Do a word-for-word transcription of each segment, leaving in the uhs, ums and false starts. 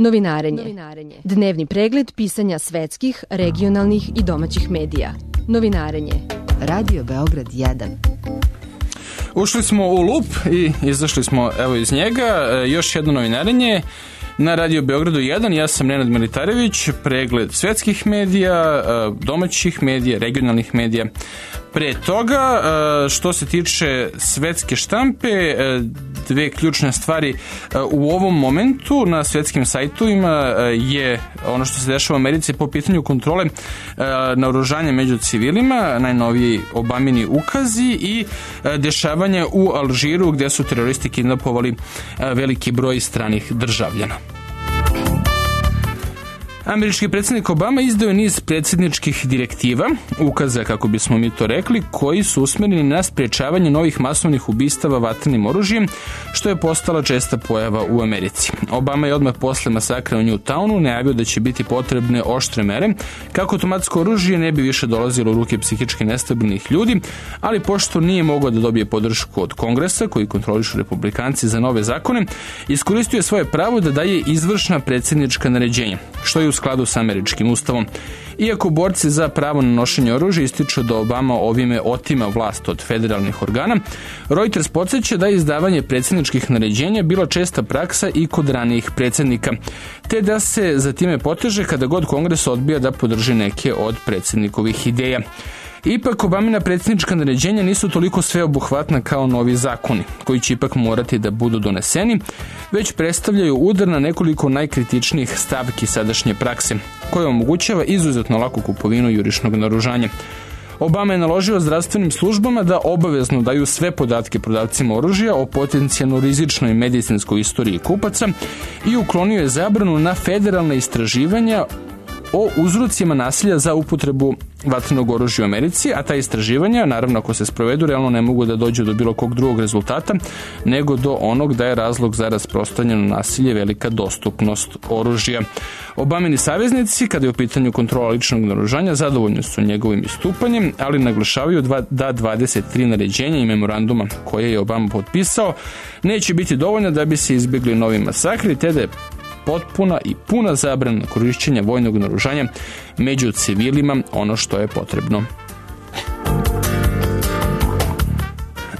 Novinarenje. Dnevni pregled pisanja svetskih, regionalnih i domaćih medija. Novinarenje. Radio Beograd jedan. Ušli smo u lup i izašli smo evo iz njega. Još jedno novinarenje na Radio Beogradu jedan. Ja sam Nenad Militarević, pregled svetskih medija, domaćih medija, regionalnih medija. Pre toga, što se tiče svetske štampe, dve ključne stvari u ovom momentu na svetskim sajtovima je ono što se dešava u Americi po pitanju kontrole naoružanja među civilima, najnoviji Obamini ukazi i dešavanje u Alžiru gde su teroristi kidnapovali veliki broj stranih državljana. Američki predsjednik Obama izdao je niz predsjedničkih direktiva, ukaza kako bismo mi to rekli, koji su usmjereni na sprječavanje novih masovnih ubistava vatrenim oružjem, što je postala česta pojava u Americi. Obama je odmah posle masakra u Newtownu najavio da će biti potrebne oštre mere kako automatsko oružje ne bi više dolazilo u ruke psihički nestabilnih ljudi, ali pošto nije mogao da dobije podršku od Kongresa, koji kontrolišu republikanci za nove zakone, iskoristio je svoje pravo da daje izvršna predsjednička naređenja, što je u skladu sa američkim ustavom. Iako borci za pravo na nošenje oružja ističu da Obama ovime otima vlast od federalnih organa, Reuters podsjeća da je izdavanje predsjedničkih naređenja bila česta praksa i kod ranijih predsjednika, te da se za time poteže kada god Kongres odbija da podrži neke od predsjednikovih ideja. Ipak, Obamina predsjednička naređenja nisu toliko sveobuhvatna kao novi zakoni, koji će ipak morati da budu doneseni, već predstavljaju udar na nekoliko najkritičnijih stavki sadašnje prakse, koja omogućava izuzetno laku kupovinu jurišnog naoružanja. Obama je naložio zdravstvenim službama da obavezno daju sve podatke prodavcima oružja o potencijalno rizičnoj medicinskoj istoriji kupaca i uklonio je zabranu na federalne istraživanja o uzrocima nasilja za upotrebu vatrenog oružja u Americi, a ta istraživanja, naravno ako se sprovedu, realno ne mogu da dođu do bilo kog drugog rezultata, nego do onog da je razlog za rasprostranjeno nasilje velika dostupnost oružja. Obamini saveznici, kada je u pitanju kontrola ličnog naoružanja, zadovoljni su njegovim istupanjem, ali naglašavaju da dvadeset tri naređenja i memoranduma koje je Obama potpisao neće biti dovoljno da bi se izbjegli novi masakri, te da je potpuna i puna zabrana korišćenja vojnog naoružanja među civilima ono što je potrebno.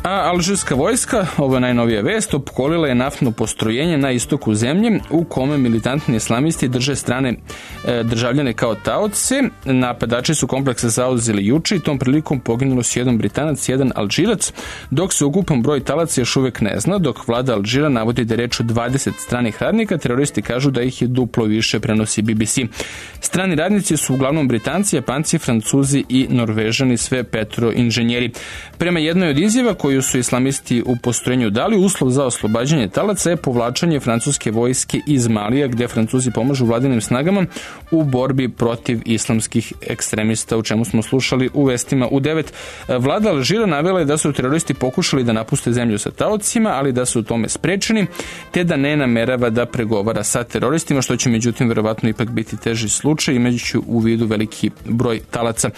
A alžirska vojska, ovo je najnovija vest, opkolila je naftno postrojenje na istoku zemlje u kome militantni islamisti drže strane e, državljane kao taoce. Napadači su komplekse zauzeli juče i tom prilikom poginulo su jedan Britanac i jedan Alžirac, dok se ukupan broj talaca još uvijek ne zna, dok vlada Alžira navodi da je reč o dvadeset stranih radnika, teroristi kažu da ih je duplo više, prenosi B B C. Strani radnici su uglavnom Britanci, Japanci, Francuzi i Norvežani, sve petroinženjeri. Prema jednoj od izjava koju su islamisti u postrojenju dali, uslov za oslobađanje talaca je povlačenje francuske vojske iz Malija, gde Francuzi pomažu vladinim snagama u borbi protiv islamskih ekstremista, u čemu smo slušali u vestima u devet. Vlada Alžira navela je da su teroristi pokušali da napuste zemlju sa taocima, ali da su u tome sprečeni, te da ne namerava da pregovara sa teroristima, što će međutim verovatno ipak biti teži slučaj, imajući u vidu veliki broj talaca.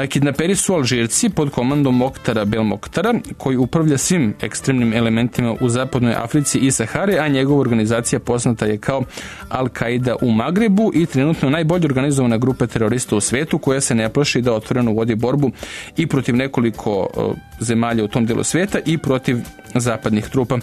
Kidnaperi su Alžirci pod komandom Moktara Belmoktara, koji upravlja svim ekstremnim elementima u zapadnoj Africi i Sahari, a njegova organizacija poznata je kao Al-Qaida u Magrebu i trenutno najbolje organizovana grupa terorista u svetu, koja se ne plaši da otvoreno vodi borbu i protiv nekoliko uh, zemalja u tom delu sveta i protiv zapadnih trupa.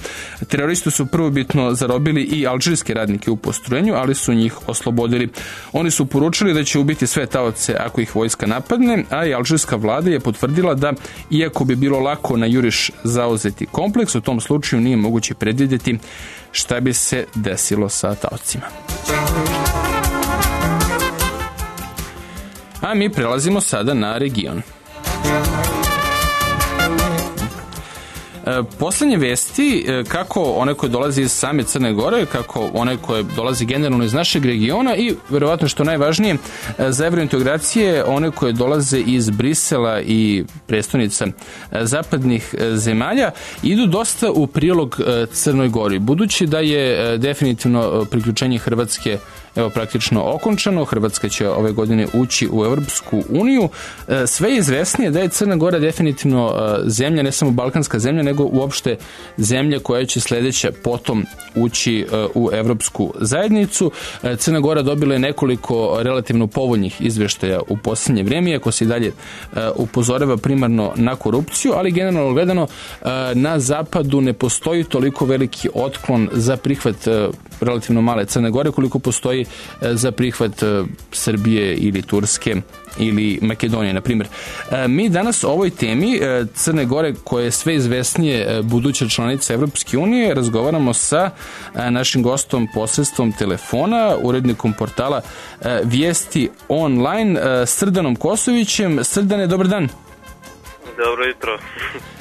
Teroristi su prvobitno zarobili i alžirske radnike u postrojenju, ali su njih oslobodili. Oni su poručili da će ubiti sve taoce ako ih vojska napadne, a i alžirska vlada je potvrdila da, iako bi bilo lako na juriš zauzeti kompleks, u tom slučaju nije moguće predvidjeti šta bi se desilo sa taocima. A mi prelazimo sada na region. Poslednje vesti, kako one koje dolaze iz same Crne Gore, kako one koje dolaze generalno iz našeg regiona i verovatno što najvažnije za evrointegracije, one koje dolaze iz Brisela i prestonica zapadnih zemalja, idu dosta u prilog Crnoj Gori, budući da je definitivno priključenje Hrvatske evo praktično okončano. Hrvatska će ove godine ući u Evropsku uniju. Sve je izvesnije da je Crna Gora definitivno zemlja, ne samo balkanska zemlja, nego nego uopšte zemlja koja će sledeća potom ući u Evropsku zajednicu. Crna Gora dobila je nekoliko relativno povoljnih izveštaja u poslednje vreme, ako se i dalje upozorava primarno na korupciju, ali generalno gledano na zapadu ne postoji toliko veliki otklon za prihvat relativno male Crne Gore koliko postoji za prihvat Srbije ili Turske ili Makedonije, na primjer. Mi danas o ovoj temi Crne Gore, koja je sve izvesnije buduća članica Evropske unije, razgovaramo sa našim gostom posredstvom telefona, urednikom portala Vijesti online, Srdanom Kosovićem. Srdane, dobar dan. Dobro jutro.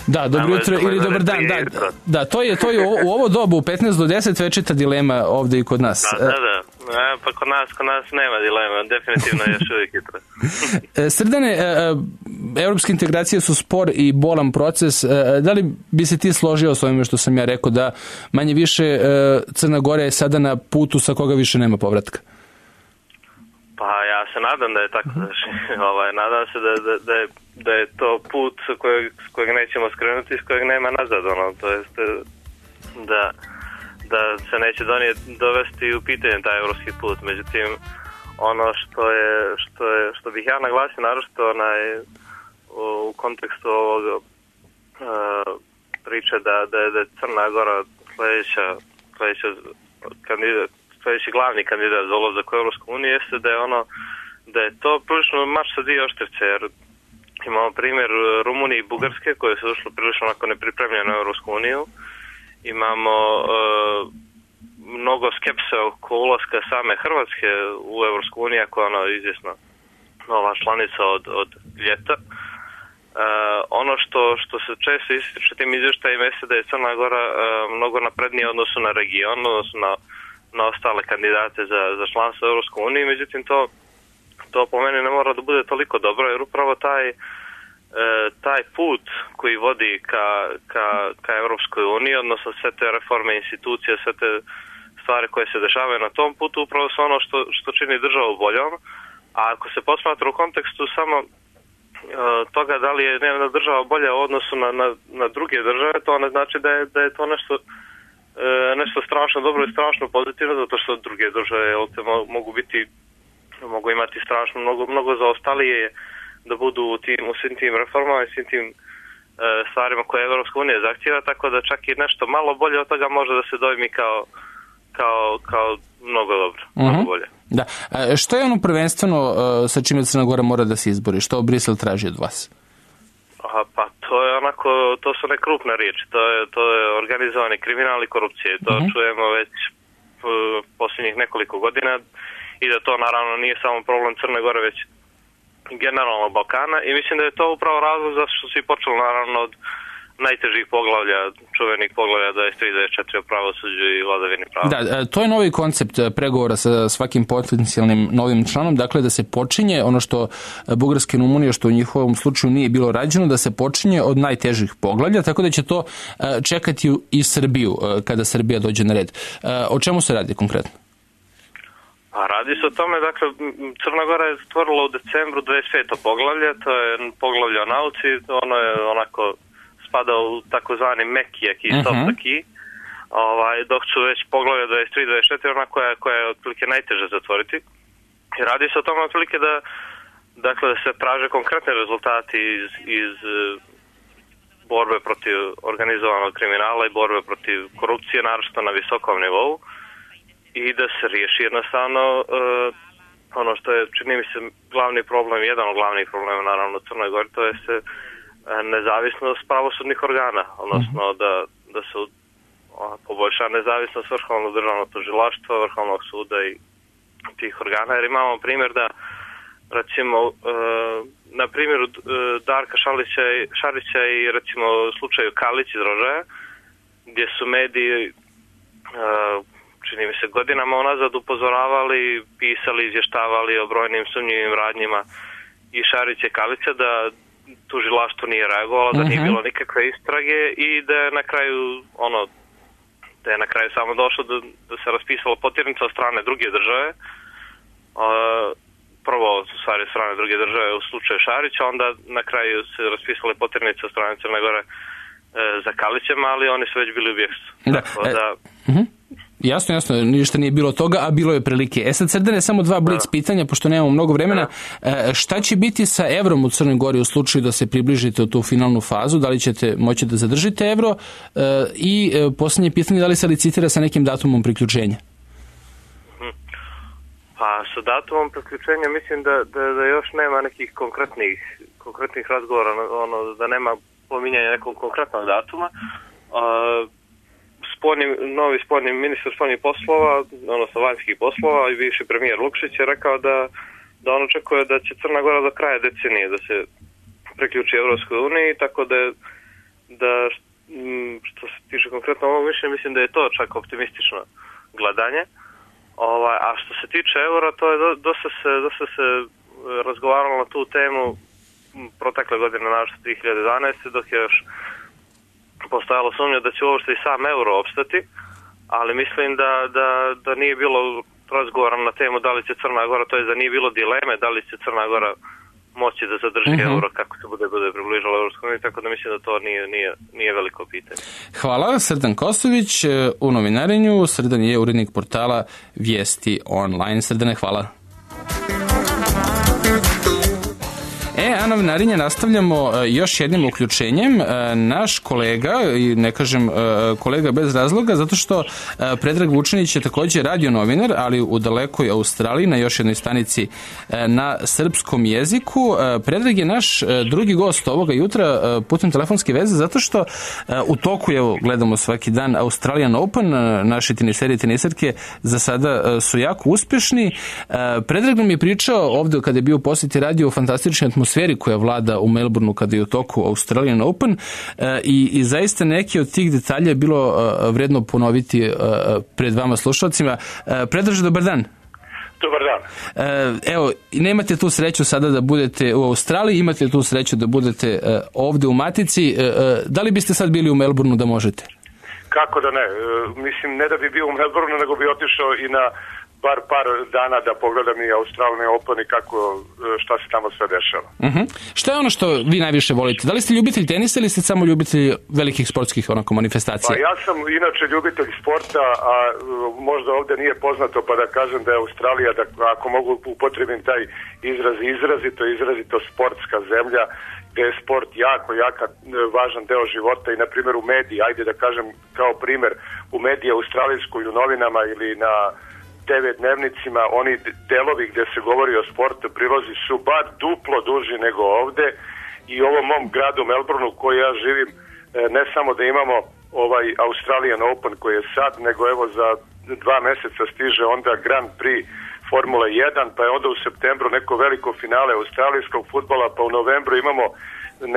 Da, dobro jutro ili dobar dan. Da, da, to je to je u ovo dobu u petnaest do deset večita dilema ovde i kod nas. Da, da, da. E, pa kod nas, kod nas nema dilema, definitivno je još uvijek jutro. Srdane, evropske integracije su spor i bolan proces. Da li bi se ti složio s ovime što sam ja rekao, da manje više Crna Gora je sada na putu sa koga više nema povratka? Pa ja se nadam da je tako. ovaj, nadam se da, da, da, je, da je to put s kojeg, s kojeg nećemo skrenuti, s kojeg nema nazad. Ono, to jest da, da se neće donijeti, dovesti u pitanje taj evropski put. Međutim, ono što je što, je, što bih ja naglasio naročito onaj, u, u kontekstu ovog uh, priče da, da, da je Crna Gora sledeća, sledeća kandidat, sledeći glavni kandidat za ulazak u Evropsku uniju, jeste da je ono da je to prilično mač sa dvije oštrice, jer imamo primjer Rumunije i Bugarske koje su ušle prilično onako nepripremljene u Evropsku uniju. Imamo uh, mnogo skepse oko ulaska same Hrvatske u Evropsku uniju, ako je ono izvjesno nova članica od, od ljeta. Uh, ono što, što se često ističe tim izvještajima jeste da je Crna Gora uh, mnogo naprednija u odnosu na region, odnosno na na ostale kandidate za, za članstvo u Evropskoj uniji, međutim to, to po meni ne mora da bude toliko dobro, jer upravo taj, e, taj put koji vodi ka, ka, ka Evropskoj uniji, odnosno sve te reforme institucije, sve te stvari koje se dešavaju na tom putu, upravo su ono što, što čini državu boljom, a ako se posmatra u kontekstu samo e, toga da li je jedna država bolja u odnosu na, na, na druge države, to ne znači da je, da je to nešto nešto strašno dobro i strašno pozitivno, zato što druge države mogu biti, mogu imati strašno mnogo, mnogo zaostalije da budu u, tim, u svim tim reformama i svim tim e, stvarima koje Evropska unija zahtjeva, tako da čak i nešto malo bolje od toga može da se dojmi kao, kao, kao mnogo dobro, uh-huh. mnogo bolje. Da. A što je ono prvenstveno sa čime Crna Gora mora da se izbori? Što Brisel traži od vas? Aha, pa to je onako, to su ne krupne riječi, to je, to je organizovani kriminal i korupcije, to uh-huh. čujemo već uh, posljednjih nekoliko godina i da to naravno nije samo problem Crne Gore, već generalno Balkana i mislim da je to upravo razlog zašto su svi počeli naravno od najtežih poglavlja, čuvenih poglavlja dvadeset tri dvadeset četiri o pravosuđu i vladavini prava. Da, to je novi koncept pregovora sa svakim potencijalnim novim članom, dakle da se počinje ono što Bugarska i Rumunija, što u njihovom slučaju nije bilo rađeno, da se počinje od najtežih poglavlja, tako da će to čekati i Srbiju kada Srbija dođe na red. O čemu se radi konkretno? A radi se o tome, dakle, Crna Gora je stvorila u decembru dvadeset peto poglavlje, to je poglavlje o nauci, ono je onako spada u takozvani meki aki, uh-huh. soft aki, ovaj, dok su već poglavlje dvadeset tri dvadeset četiri ona koja, koja je otprilike najteže zatvoriti. I radi se o tome otprilike da, dakle, da se traže konkretne rezultati iz, iz borbe protiv organizovanog kriminala i borbe protiv korupcije, naročito na visokom nivou, i da se riješi jednostavno uh, ono što je, čini mi se, glavni problem, jedan od glavnih problema naravno u Crnoj Gori, to je se nezavisnost pravosudnih organa, odnosno da, da se poboljša nezavisnost Vrhovnog državnog tužilaštva, Vrhovnog suda i tih organa, jer imamo primjer da recimo uh, na primjeru uh, Darka Šarića, Šarića i recimo slučaju Kalić iz Rožaja, gdje su mediji uh, čini mi se godinama unazad upozoravali, pisali, izvještavali o brojnim sumnjivim radnjima i Šarića i Kalića, da tužilaštvo nije reagovalo, da nije bilo nikakve istrage i da je na kraju ono da je na kraju samo došlo da, da se raspisalo potjernica od strane druge države. Uh, prvo u stvari od strane druge države u slučaju Šarića, onda na kraju se raspisale potjernice od strane Crne Gore za Kalićem, ali oni su već bili u Bjeksu. Da. Tako da... E, uh-huh. Jasno, jasno, ništa nije bilo toga, a bilo je prilike. E sad, Srdane, samo dva blic da. pitanja, pošto nemamo mnogo vremena. E, šta će biti sa evrom u Crnoj Gori u slučaju da se približite u tu finalnu fazu? Da li ćete moći da zadržite evro? E, I e, posljednje pitanje, da li se licitira sa nekim datumom priključenja? Pa sa datumom priključenja mislim da, da, da još nema nekih konkretnih, konkretnih razgovora, ono, da nema pominjanja nekog konkretnog datuma. Uh, Sporni, novi sporni ministar spoljnih poslova, odnosno vanjskih poslova i bivši premijer Lukšić je rekao da, da on očekuje da će Crna Gora do kraja decenije da se priključi Evropskoj uniji, tako da, da što se tiče konkretno ovog mišljenja, mislim da je to čak optimistično gledanje. Ovaj, a što se tiče eura, to je do, dosta, se, dosta se razgovaralo na tu temu protekle godine, naravno dvije hiljade jedanaeste. dok je još postojalo sumnja da će uopšte i sam euro opstati, ali mislim da, da, da nije bilo razgovora na temu da li će Crna Gora, to je da nije bilo dileme da li će Crna Gora moći da zadrži mm-hmm. euro kako se bude, bude približalo Evropskoj uniji, tako da mislim da to nije, nije, nije veliko pitanje. Hvala, Srdan Kosović u novinarenju. Srdan je urednik portala Vijesti online. Srdane, hvala. E, a novinarinje nastavljamo još jednim uključenjem. Naš kolega, i ne kažem kolega bez razloga, zato što Predrag Vučinić je također radio novinar, ali u dalekoj Australiji, na još jednoj stanici na srpskom jeziku. Predrag je naš drugi gost ovoga jutra putem telefonske veze, zato što u toku, evo, gledamo svaki dan Australian Open, naši teniseri i tenisarke za sada su jako uspješni. Predrag nam je pričao ovdje kada je bio u posjeti radio o fantastičnoj atmosferi koja vlada u Melbourneu kada je u toku Australian Open e, i, i zaista neki od tih detalja je bilo e, vredno ponoviti e, pred vama slušalcima. E, Predraže, dobar dan. Dobar dan. E, evo, nemate tu sreću sada da budete u Australiji, imate tu sreću da budete e, ovde u Matici. E, e, da li biste sad bili u Melbourneu da možete? Kako da ne? E, mislim, ne da bi bio u Melbourneu, nego bi otišao i na bar par dana da pogledam i Australian Open i kako, šta se tamo sve dešava. Uh-huh. Šta je ono što vi najviše volite? Da li ste ljubitelj tenisa ili ste samo ljubitelj velikih sportskih onako manifestacija? Pa ja sam inače ljubitelj sporta, a možda ovdje nije poznato pa da kažem da je Australija, da ako mogu upotrebim taj izraz, izrazito, izrazito sportska zemlja, gdje je sport jako, jako važan deo života i na primjer u mediji, ajde da kažem kao primjer, u mediji australijskoj, u novinama ili na te ve dnevnicima, oni delovi gdje se govori o sportu, prilozi su bar duplo duži nego ovdje i u ovom mom gradu Melbourneu koji ja živim, ne samo da imamo ovaj Australian Open koji je sad, nego evo za dva mjeseca stiže onda Grand Prix Formule jedan, pa je onda u septembru neko veliko finale australijskog fudbala, pa u novembru imamo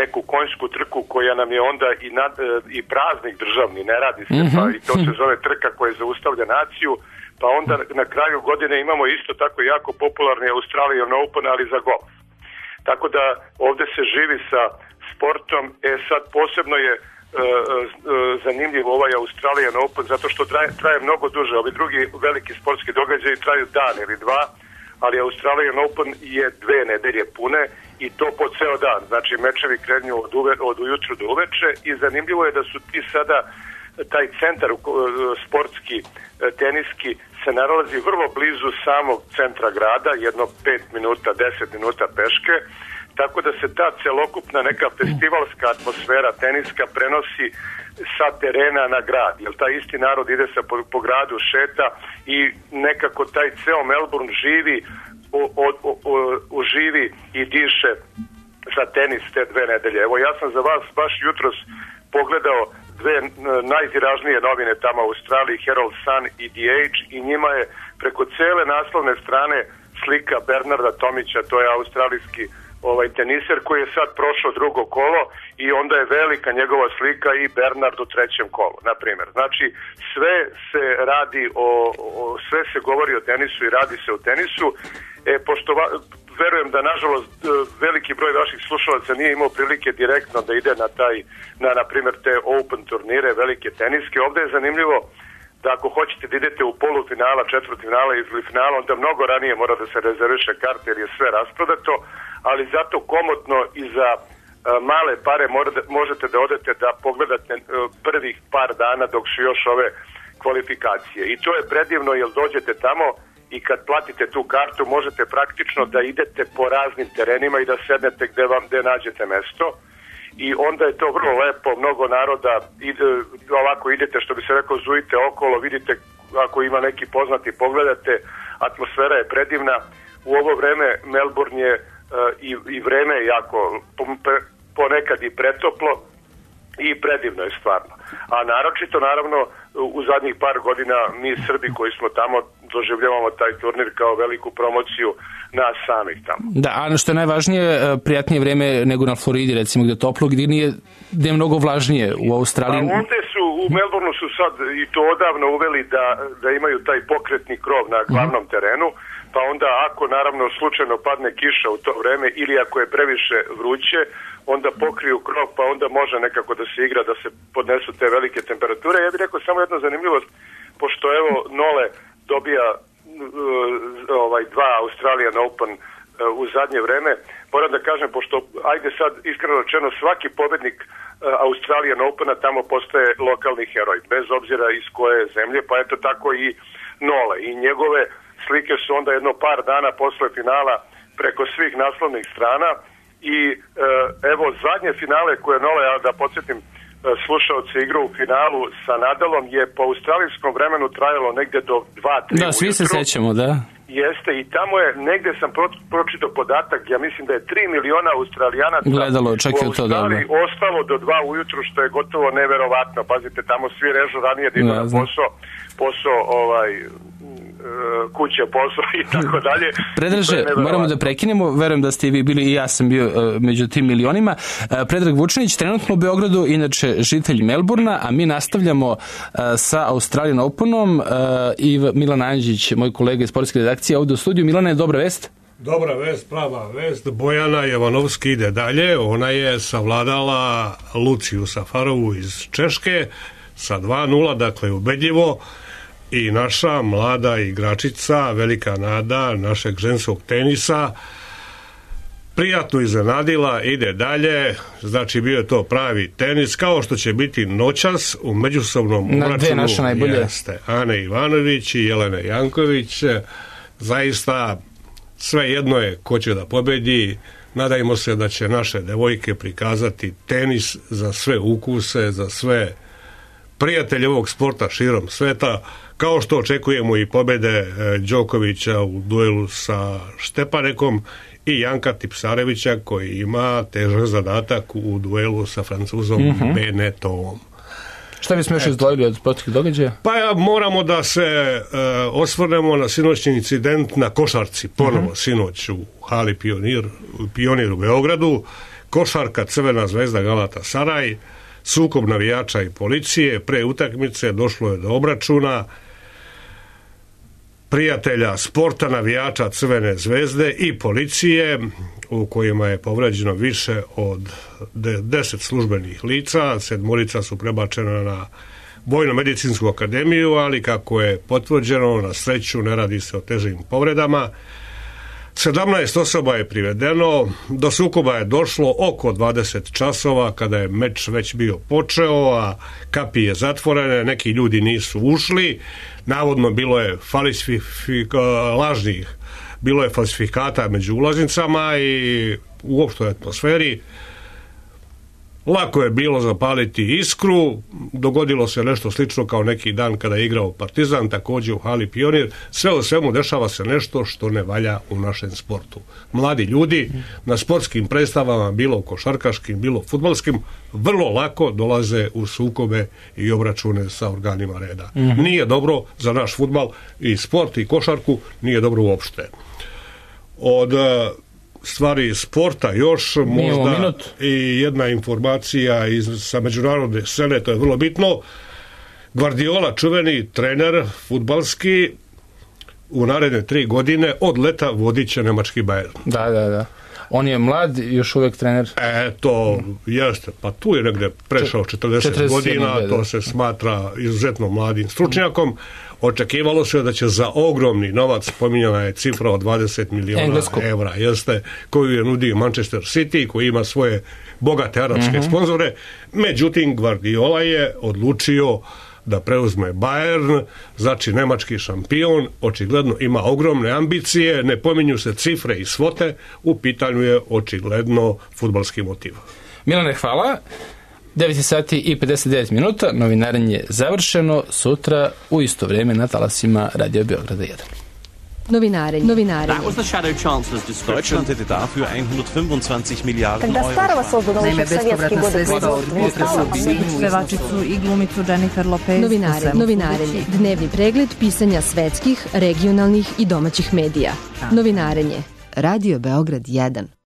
neku konjsku trku koja nam je onda i, nad, i praznik državni, ne radi se, mm-hmm. pa i to se zove trka koja zaustavlja naciju. Pa onda na kraju godine imamo isto tako jako popularni Australian Open, ali za golf. Tako da ovdje se živi sa sportom. E sad posebno je e, e, zanimljiv ovaj Australian Open zato što traje, traje mnogo duže. Ovi drugi veliki sportski događaji traju dan ili dva, ali Australian Open je dve nedelje pune i to po ceo dan. Znači mečevi krenju od, uve, od ujutru do uveče i zanimljivo je da su ti sada taj centar sportski, teniski se nalazi vrlo blizu samog centra grada, jedno pet minuta, deset minuta peške, tako da se ta celokupna neka festivalska atmosfera teniska prenosi sa terena na grad, jer taj isti narod ide sa po, po gradu, šeta i nekako taj ceo Melbourne živi, o, o, o, o, uživi i diše za tenis te dve nedelje. Evo ja sam za vas baš jutros pogledao dve najtiražnije novine tamo u Australiji, Herald Sun i The Age, i njima je preko cele naslovne strane slika Bernarda Tomića, to je australijski ovaj teniser koji je sad prošao drugo kolo i onda je velika njegova slika i Bernard u trećem kolu, na primjer. Znači sve se radi o, o sve se govori o tenisu i radi se o tenisu. E, pošto va, verujem da nažalost veliki broj vaših slušalaca nije imao prilike direktno da ide na taj, na na primjer te open turnire, velike teniske. Ovdje je zanimljivo da ako hoćete da idete u polufinala, četvrtfinala ili finala, onda mnogo ranije mora da se rezerviše karte jer je sve rasprodato, ali zato komotno i za male pare možete da odete da pogledate prvih par dana dok su još ove kvalifikacije. I to je predivno jer dođete tamo i kad platite tu kartu možete praktično da idete po raznim terenima i da sednete gde vam gde nađete mesto. I onda je to vrlo lepo, mnogo naroda, ide, ovako idete, što bi se rekao, zujite okolo, vidite ako ima neki poznati, pogledate, atmosfera je predivna. U ovo vreme Melbourne je uh, i, i vreme je jako ponekad i pretoplo i predivno je stvarno. A naročito, naravno, u zadnjih par godina mi Srbi koji smo tamo doživljavamo taj turnir kao veliku promociju nas samih tamo. Da, a što je najvažnije, prijatnije vreme nego na Floridi, recimo, gde je toplo, gde, nije, gde je mnogo vlažnije u Australiji. A ovde su, u Melbourneu su sad i to odavno uveli da, da imaju taj pokretni krov na glavnom mm-hmm. terenu, pa onda ako naravno slučajno padne kiša u to vreme ili ako je previše vruće, onda pokriju krov, pa onda može nekako da se igra, da se podnesu te velike temperature. Ja bih rekao samo jedna zanimljivost, pošto evo Nole dobija uh, ovaj dva Australian Open uh, u zadnje vreme, moram da kažem, pošto, ajde sad iskreno rečeno, svaki pobednik uh, Australian Opena tamo postaje lokalni heroj, bez obzira iz koje zemlje, pa eto tako i Nole. I njegove slike su onda jedno par dana posle finala preko svih naslovnih strana i uh, evo zadnje finale koje Nole, ja da podsjetim slušaoci igru u finalu sa Nadalom je po australijskom vremenu trajalo negde do dva tri Da, svi se sećamo, da. Jeste, i tamo je, negde sam pro, pročitao podatak, ja mislim da je tri miliona Australijanaca gledalo, čak je to dobro. Ostalo do dva ujutru, što je gotovo neverovatno. Pazite, tamo svi režu ranije da idu na posao, posao ovaj, kuće, posao i tako dalje. Predraže, moramo da prekinemo, verujem da ste i vi bili i ja sam bio uh, među tim milionima. Uh, Predrag Vučinić, trenutno u Beogradu, inače žitelj Melburna, a mi nastavljamo uh, sa Australian Openom uh, i Milan Anđić, moj kolega iz sportske redakcije, ovde u studiju. Milana, je dobra vest? Dobra vest, prava vest. Bojana Jovanovski ide dalje, ona je savladala Luciju Safarovu iz Češke sa dva nula, dakle ubedljivo. I naša mlada igračica, velika nada našeg ženskog tenisa, prijatno iznenadila, ide dalje, znači bio je to pravi tenis, kao što će biti noćas u međusobnom obračunu jeste Ane Ivanović i Jelene Janković. Zaista sve jedno je ko će da pobedi. Nadajmo se da će naše devojke prikazati tenis za sve ukuse, za sve prijatelje ovog sporta širom sveta, kao što očekujemo i pobede Đokovića u duelu sa Štepanekom i Janka Tipsarevića koji ima težak zadatak u duelu sa Francuzom mm-hmm. Benetovom. Šta bismo još izdvojili od sportskih događaja? Pa ja, moramo da se e, osvrnemo na sinoćni incident na košarci, ponovo mm-hmm. sinoć u hali Pionir, Pionir u Beogradu, košarka Crvena zvezda Galatasaray, sukob navijača i policije, pre utakmice došlo je do obračuna prijatelja sporta, navijača Crvene zvezde i policije, u kojima je povređeno više od deset službenih lica. Sedmorica su prebačena na Vojno-medicinsku akademiju, ali kako je potvrđeno, na sreću ne radi se o težim povredama. sedamnaest osoba je privedeno, do sukoba je došlo oko dvadeset časova kada je meč već bio počeo, a kapije zatvorene, neki ljudi nisu ušli, navodno bilo je falsifika, lažnih, bilo je falsifikata među ulaznicama i u opštoj atmosferi. Lako je bilo zapaliti iskru, dogodilo se nešto slično kao neki dan kada je igrao Partizan, također u hali Pionir. Sve u svemu dešava se nešto što ne valja u našem sportu. Mladi ljudi na sportskim predstavama, bilo košarkaškim, bilo fudbalskim, vrlo lako dolaze u sukobe i obračune sa organima reda. Mm-hmm. Nije dobro za naš fudbal i sport i košarku, nije dobro uopšte. Od stvari sporta još možda i jedna informacija iz, sa međunarodne scene, to je vrlo bitno. Guardiola, čuveni trener fudbalski, u naredne tri godine od leta vodit će nemački Bayern. Da, da, da. On je mlad, još uvek trener. E, to jeste, pa tu je negde prešao četrdeset godina, to se smatra izuzetno mladim stručnjakom. Očekivalo se da će za ogromni novac, pominjana je cifra od dvadeset miliona Englesko. evra, jeste, koju je nudio Manchester City, koji ima svoje bogate arapske uh-huh. sponzore. Međutim, Guardiola je odlučio da preuzme Bayern, znači nemački šampion, očigledno ima ogromne ambicije, ne pominju se cifre i svote, u pitanju je očigledno fudbalski motiv. Milane, hvala. devet sati i pedeset devet minuta, novinarenje je završeno, sutra u isto vrijeme na talasima Radio Beograda jedan. Novinarenje. Novinarenje. That was the shadow chancellor's description. Deutschland hätte dafür hundertfünfundzwanzig Milliarden Когда старого создано еще в советские годы pevačicu i glumicu Jennifer Lopez. Novinarenje. Novinarenje. Dnevni pregled pisanja svetskih, regionalnih i domaćih medija. Novinarenje. Radio Beograd jedan.